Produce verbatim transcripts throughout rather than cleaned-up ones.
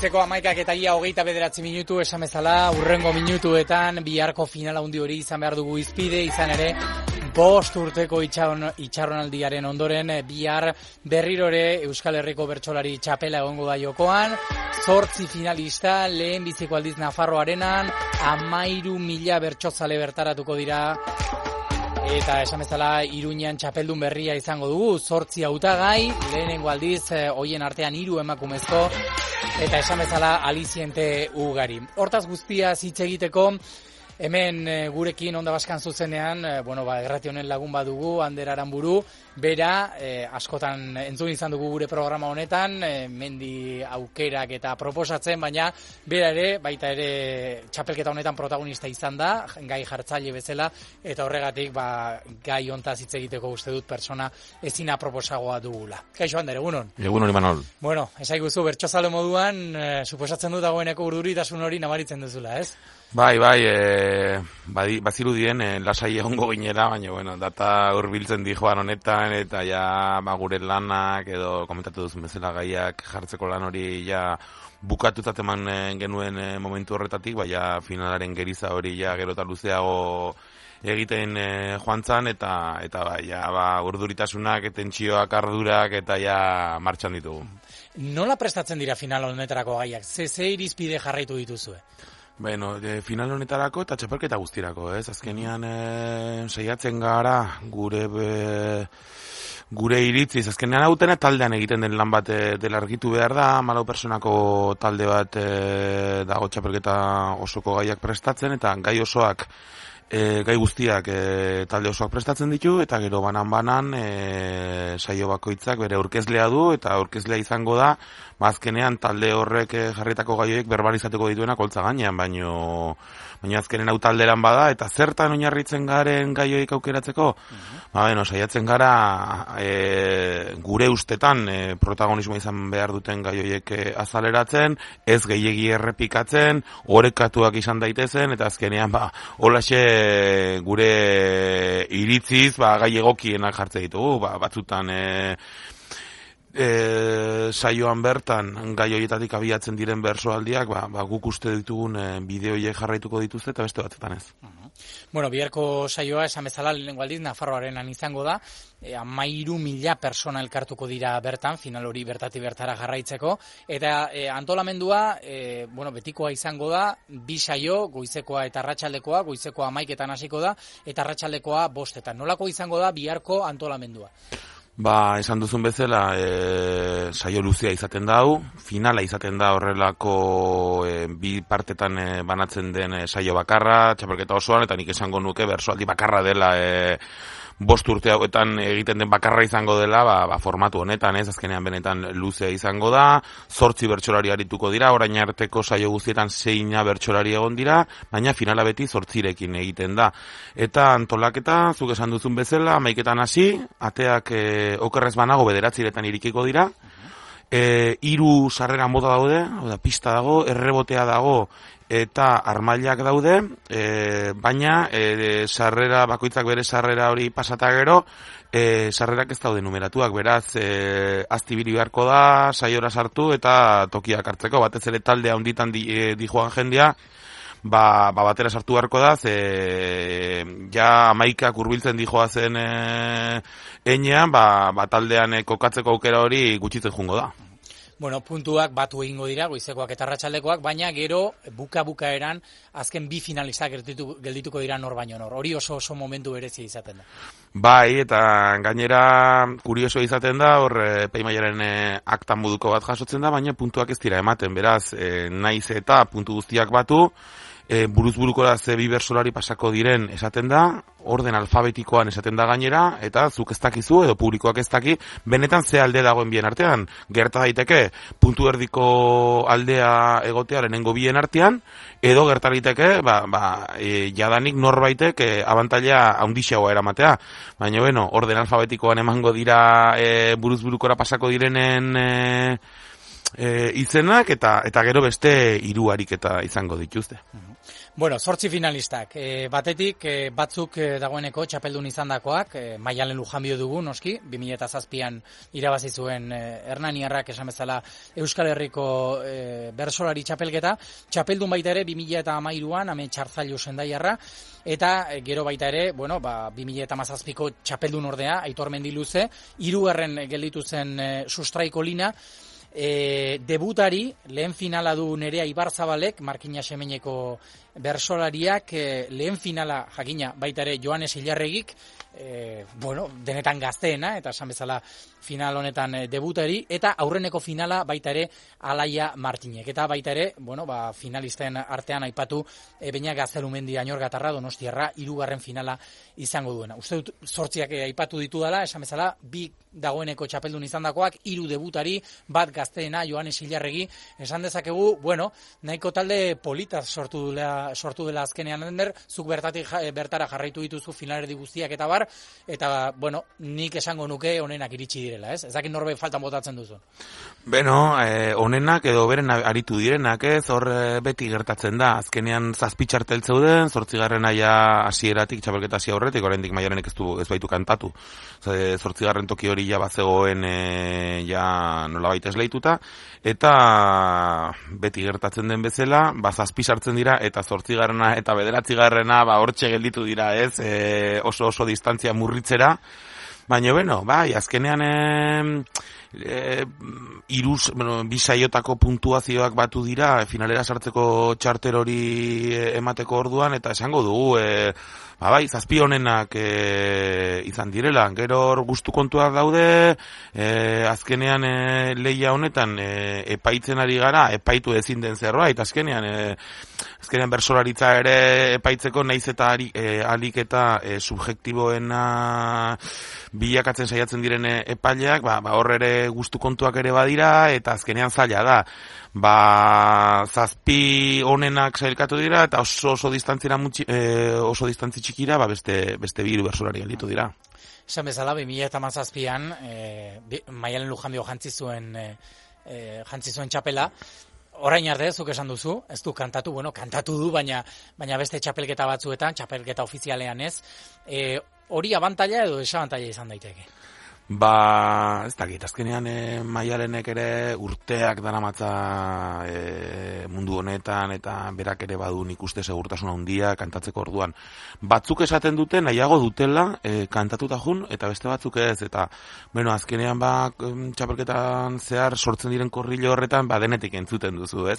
Goizeko hamaikak eta ia hogeita bederatzi minutu esan bezala, urrengo minutuetan biharko finala handi hori izan behar dugu izpide, izan ere bost urteko itxaron, itxaronaldiaren ondoren bihar berrirore Euskal Herriko bertsolari txapela egongo da jokoan, zortzi finalista, lehen biziko aldiz Nafarroarenan, amairu mila bertsozale bertaratuko dira. Eta esan bezala Iruñean txapeldun berria izango dugu, zortzi hautagai, lehenengo aldiz hoien artean hiru emakumezko, eta esan bezala aliziente ugari. Hortaz guztia hitz egiteko, hemen gurekin Onda Baskan zuzenean, bueno, ba, errati honen lagun badugu, Ander Aranburu, bera, eh, askotan entzun izan dugu gure programa honetan, eh, mendi aukerak eta proposatzen, baina bera ere, baita ere txapelketa honetan protagonista izan da, gai jartzaile bezala, eta horregatik ba, gai hontaz hitz egiteko uste dut persona ezina proposagoa dugula. Kaixo Ander, egunon? Egunon, Imanol. Bueno, esaiguzu, bertsozale moduan, eh, suposatzen dut dagoeneko urduritasun hori nabaritzen duzula, ez? Bai, bai, e, badi, bazirudien e, lasai egongo ginera, baina, bueno, data hurbiltzen di joan honetan, eta ja, ba, gure lanak, edo komentatu duzun bezala gaiak jartzeko lan hori, ja, bukatutzat eman genuen e, momentu horretatik, baina finalaren geriza hori, ja, gero eta luzeago egiten e, joan zan, eta, eta bai, ja, ba, urduritasunak, tentsioak, ardurak, eta ja, martxan ditugu. Nola prestatzen dira final honetarako gaiak? Ze, ze irizpide jarraitu dituzue? Bueno, e, final honetarako eta txapelketa guztirako, ez? Azkenian e, saiatzen gara gure be, gure iritziz. Azkenean hautena taldean egiten den lan bat e, dela argitu behar da, malau personako talde bat e, dago txapelketa osoko gaiak prestatzen, eta gai osoak E, gai guztiak e, talde osoak prestatzen ditu, eta gero banan-banan e, saio bakoitzak bere aurkezlea du, eta aurkezlea izango da, azkenean talde horrek e, jarritako gaioek berbalizatuko dituena koltza gainean, baino, baino azkenen hau talderan bada, eta zertan oinarritzen garen gaioik aukeratzeko, uh-huh. ba, bueno, saiatzen gara e, gure ustetan e, protagonismo izan behar duten gaioiek e, azaleratzen, ez gehiegi errepikatzen, orekatuak izan daitezen, eta azkenean, ba, holaxe gure iritziz ba, gai egokienak jartze ditugu, ba, batzutan e, e, saioan bertan gai horietatik abiatzen diren bersoaldiak, ba, ba, guk uste ditugun e, bideoiek jarraituko dituzte eta beste batzutan ez. Uh-huh. Bueno, biharko saioa esan bezala lehenengo aldiz Nafarroarenan izango da, e, amairu mila persona elkartuko dira bertan, final hori bertati bertara jarraitzeko, eta e, antolamendua, e, bueno, betikoa izango da, bi saio, goizekoa eta arratsaldekoa, goizekoa hamaiketan hasiko da, eta arratsaldekoa bostetan. Nolako izango da biharko antolamendua? Ba, esan duzun bezala, e, saio luzea izaten da hau, finala izaten da horrelako e, bi partetan e, banatzen den e, saio bakarra, txapelketa osoan, eta nik esango nuke bersoaldi bakarra dela e, bost urte hauetan egiten den bakarra izango dela, ba, ba, formatu honetan, ez, azkenean benetan luzea izango da, zortzi bertsolari arituko dira, orain arteko saio guztietan zeina bertsolari egon dira, baina finala beti zortzirekin egiten da. Eta antolaketa, zuk esan duzun bezala, hamaiketan hasi, ateak e, okerrez banago bederatziretan irikiko dira, e, hiru sarrera moda daude, oda, pista dago, errebotea dago, eta armailak daude, e, baina e, sarrera bakoitzak bere sarrera hori pasata gero, e, sarrerak ez daude numeratuak, beraz, e, aztibiri beharko da, saiora sartu eta tokiak hartzeko, batez ere taldea handitan di, e, di joan jendea, ba, ba batera sartu beharko da, ze ja amaikak hurbiltzen di joazen e, enean, ba, ba taldean e, kokatzeko aukera hori gutxitzen jungo da. Bueno, puntuak batu egingo dira, goizekoak eta arratsaldekoak, baina gero buka-bukaeran azken bi finalistak gelditu, geldituko dira nor baino nor. Hori oso oso momentu berezia izaten da. Bai, eta gainera kurioso izaten da, hor epaimahaiaren e, aktan moduko bat jasotzen da, baina puntuak ez dira ematen, beraz, e, naiz eta puntu guztiak batu, e, buruz burukora ze bi bersolari pasako diren esaten da, orden alfabetikoan esaten da gainera, eta zuk ez dakizu edo publikoak ez daki, benetan ze alde dagoen bien artean. Gerta daiteke puntu erdiko aldea egotea lehenengo bien artean, edo gerta daiteke ba, ba, e, jadanik norbaitek e, abantaila handiagoa eramatea. Baina, bueno, orden alfabetikoan emango dira e, buruz burukora pasako direnen e, e, izenak eta eta gero beste hiru ariketa izango dituzte. Bueno, zortzi finalistak. E, batetik, e, batzuk e, dagoeneko txapeldun izandakoak, e, Maialen Lujanbio dugu, noski, bi mila zazpian irabazi zuen e, Hernaniarrak esan bezala Euskal Herriko e, bersolari txapelketa, txapeldun baita ere bi mila hamairuan, ame Txartzailu Sendaiarra, eta e, gero baita ere, bueno, ba, bi mila hamazazpiko txapeldun ordea, Aitor Mendiluze, hirugarren gelditu zen e, Sustraiko Lina. E, debutari, lehen finala du Nerea Ibarzabalek, Markina Semeneko bersolariak, e, lehen finala jakina baita ere Joanes Ilarregik, e, bueno, denetan gazteena, eta esan bezala final honetan e, debutari, eta aurreneko finala baita ere Alaia Martinek, eta baita ere, bueno, ba, finalisten artean aipatu e, Beñat Gaztelumendi Añorgatarra Donostiarra hirugarren finala izango duena. Uste dut zortziak e, aipatu ditu dela, esan bezala, bi dagoeneko txapeldun izandakoak, hiru debutari, bat gazteena, Joanes Ilarregi, esan dezakegu, bueno, nahiko talde polita sortu dela, sortu dela azkenean ender, zuk bertatik bertara jarraitu dituzu finalerdi guztiak eta bar, eta, bueno, nik esango nuke onenak iritsi direla, ez? Ez dakit norbe faltan botatzen duzu. Beno, eh, onenak edo beren aritu direnak, ez? Hor eh, beti gertatzen da, azkenean zazpi txartel zeuden, zortzigarren aia hasieratik txapelketa hasi aurretik, oraindik Maialenek ez du ez baitu kantatu. Zortzigarren toki hori ja bazegoen e, ja nolabait esleituta, eta beti gertatzen den bezala, ba zazpi sartzen dira eta zortzigarrena eta bederatzigarrena ba hortxe gelditu dira, ez? E, oso oso distantzia murritzera. Baina, bueno, bai, azkenean e, e, iruz, bueno, bi saiotako puntuazioak batu dira, finalera sartzeko txarter hori emateko orduan, eta esango dugu, e, ba, bai, zazpi honenak e, izan direla, gero gustu kontuak daude, e, azkenean e, lehia honetan e, epaitzen ari gara, epaitu ezin den zerbait, azkenean, e, azkenean bersolaritza ere epaitzeko naiz eta ari, e, alik eta e, subjektiboena bilakatzen saiatzen diren epaileak, ba, ba hor ere gustu kontuak ere badira, eta azkenean zaila da. Ba, zazpi honenak sailkatu dira, eta oso oso distantzira mutxi, e, oso distantzi txikira, ba beste beste bi hiru bersolari gelditu dira. Esan bezala, bi mila hamazazpian, e, Maialen Lujanbio jantzi zuen e, e, jantzi zuen txapela. Orain arte, zuk esan duzu, ez du kantatu, bueno, kantatu du, baina baina beste txapelketa batzuetan, txapelketa ofizialean ez, e, hori abantaila edo desabantaila izan daiteke? Ba, ez dakit, azkenean e, Maialenek ere urteak daramatza e, mundu honetan, eta berak ere badu nik uste segurtasuna handia kantatzeko orduan. Batzuk esaten dute nahiago dutela e, kantatuta jun, eta beste batzuk ez, eta bueno, azkenean ba, txapelketan zehar sortzen diren korrilo horretan, ba, denetik entzuten duzu, ez?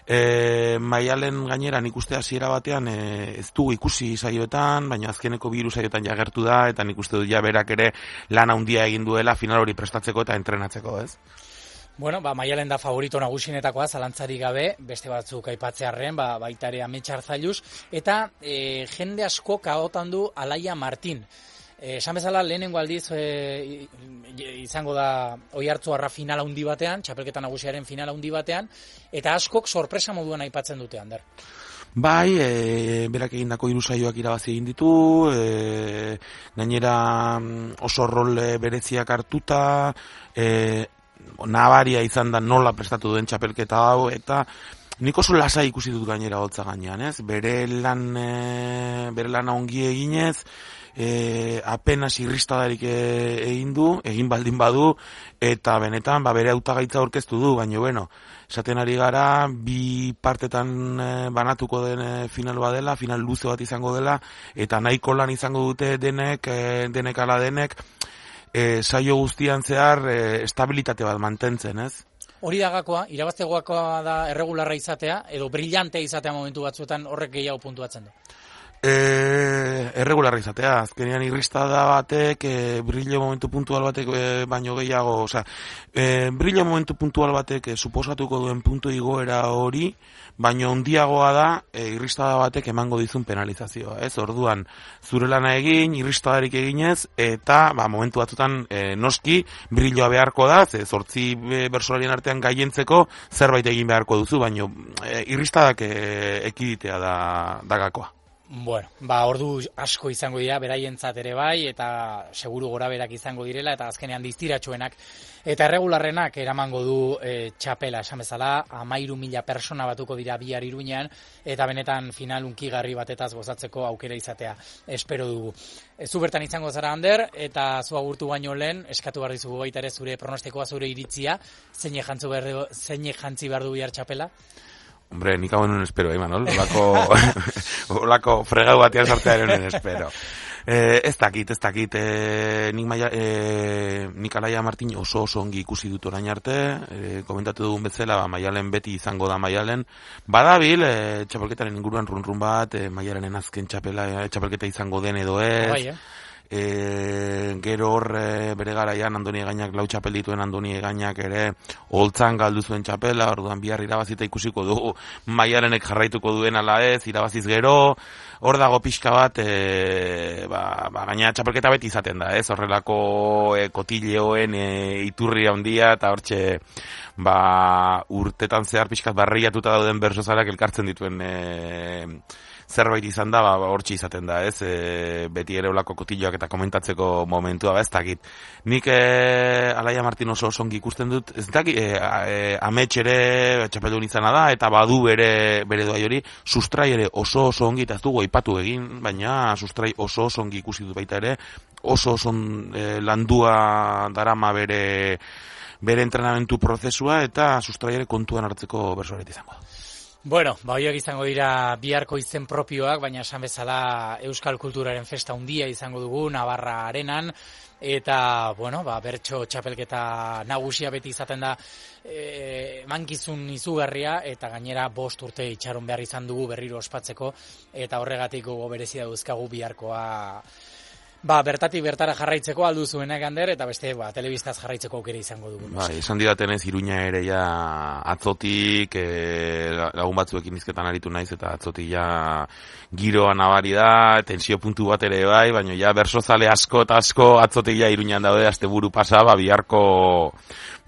E, Maialen gainera nik uste hasiera batean e, ez dugu ikusi saioetan, baina azkeneko biru saioetan jagertu da, eta nik uste dut ja berak ere lan handia egin duela final hori prestatzeko eta entrenatzeko, ez? Bueno, ba, Maialen da favorito nagusinetakoa, zalantzari gabe, beste batzuk aipatzearren, ba, baita ere Ame Txartzailuz, eta e, jende asko kaotan du Alaia Martin. E, esan bezala, lehenengo aldiz e, izango da Oiartzuarra finala handi batean, txapelketa nagusiaren finala handi batean, eta askok sorpresa moduan aipatzen dute, Ander. Bai, e, berak egindako hiru saioak irabazi egin ditu, e, gainera oso rol bereziak hartuta, e, nabaria izan da nola prestatu duen txapelketa hau, eta nik oso lasai ikusi dut gainera hotza gainean, ez? Bere lan, e, bere lana ongi eginez, e, apenas irristadarik egin du, egin baldin badu, eta benetan ba, bere hautagaitza aurkeztu du, baina bueno, esaten ari gara, bi partetan e, banatuko den e, final badela, final luze bat izango dela, eta nahiko lan izango dute denek, e, denek ala denek, e, saio guztian zehar e, estabilitate bat mantentzen, ez? Hori da gakoa, irabaztegoakoa da erregularra izatea, edo brillantea izatea momentu batzuetan horrek gehiago puntuatzen du. E, erregularra izatea, azkenean irristada batek, e, brillo momentu puntual batek e, baino gehiago, osea, e, brillo momentu puntual batek e, suposatuko duen puntu igoera hori, baino handiagoa da e, irristada batek emango dizun penalizazioa, ez? Orduan, zure lana egin, irristadarik eginez, eta ba, momentu batzutan e, noski brilloa beharko da, ze zortzi bersolarien artean gaientzeko zerbait egin beharko duzu, baino e, irristadak e, ekiditea da, da gakoa. Bueno, ba, ordu asko izango dira, beraientzat ere bai, eta seguru goraberak izango direla, eta azkenean diztiratsuenak eta erregularrenak eramango du e, txapela, esan bezala, amairu mila persona batuko dira bihar Iruñean, eta benetan final unkigarri batetaz gozatzeko aukera izatea espero dugu. E, zu bertan izango zara, Ander, eta zu agurtu baino lehen, eskatu behar dizugu baita ere zure pronostikoa, zure iritzia, zeine jantzi behar du, zeine jantzi behar du bihar txapela? Hombre, nik hau enen espero, eh, Manol? Olako, olako fregau batian sartzea enen espero. Eh, ez dakit, ez dakit, eh, nik, maia, eh, nik Alaia Martin oso oso ongi ikusi dut orain arte, eh, komentatu dugun bezala, ba, Maialen beti izango da Maialen. Badabil, eh, txapelketaren inguruan run-run bat, eh, Maialenen azken txapela, eh, txapelketa izango den edo ez. Bai, eh? E, gero hor e, bere garaian Andoni Egainak lau txapel dituen Andoni Egainak ere holtzan galdu zuen txapela, orduan bihar irabazita ikusiko dugu Maialenek jarraituko duen ala ez, irabaziz gero, hor dago pixka bat, e, ba, ba, gaina txapelketa beti izaten da, ez, horrelako e, kotileoen e, iturri handia eta hortxe ba, urtetan zehar pixkat barriatuta dauden bersozalak elkartzen dituen e, zerbait izan da, ba, hortxe izaten da, ez, e, beti ere olako kotilloak eta komentatzeko momentua, ba, ez dakit. Nik e, Alaia Martin oso osongi ikusten dut, ez dakit, e, e, amets ere txapeldun izana da, eta badu bere, bere doai hori, sustrai ere oso oso ongi, eta ez dugu aipatu egin, baina sustrai oso oso ongi ikusi dut baita ere, oso oso e, landua darama bere, bere entrenamentu prozesua, eta sustrai ere kontuan hartzeko bersoaret izango da. Bueno, ba, horiek izango dira biharko izen propioak, baina esan bezala Euskal Kulturaren festa handia izango dugu, Navarra Arenan, eta, bueno, ba, bertso txapelketa nagusia beti izaten da e, mankizun izugarria, eta gainera bost urte itxaron behar izan dugu berriro ospatzeko, eta horregatik gogo berezia dauzkagu biharkoa, ba, bertatik bertara jarraitzeko aldu zuenak, Ander, eta beste, ba, telebistaz jarraitzeko aukera izango dugu. Bai, esan didatenez Iruña ere ja atzotik, e, lagun batzuekin hizketan aritu naiz, eta atzotik ja giroa nabari da, tensio puntu bat ere bai, baina ja bersozale asko eta asko atzotik ja Iruñan daude, asteburu pasa, ba, biharko,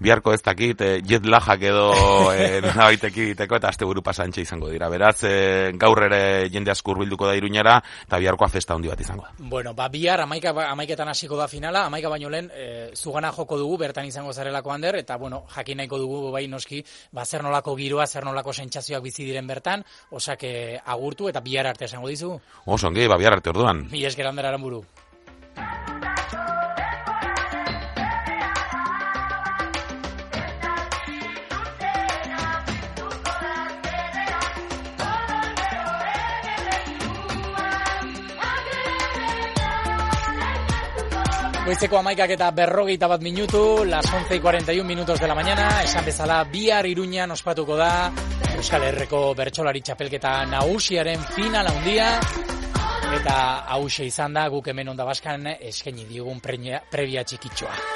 biharko ez dakit, e, jet lajak edo e, nabaitek egiteko, eta asteburu pasa antxe izango dira. Beraz, e, gaur ere jende asko hurbilduko da Iruñara, eta biharkoa festa handi bat izango da. Bueno, ba, bihar Amaika, amaiketan hasiko da finala, amaika baino lehen e, zugana joko dugu, bertan izango zarelako, Ander, eta bueno, jakin nahiko dugu bai noski, ba, zer nolako giroa, zer nolako sentsazioak bizi diren bertan, osak e, agurtu eta bihar arte esango dizu. Oso ongi, ba, bihar arte orduan. Mi esker, Ander Aranburu. Goizeko amaikak eta berrogeita bat minutu, las once y cuarenta y un minutos de la mañana, esan bezala bihar Iruñan ospatuko da Euskal Herriko bertsolari txapelketa nagusiaren final handia, eta hause izan da guk hemen Onda Baskan eskaini digun prebia txikitxoa.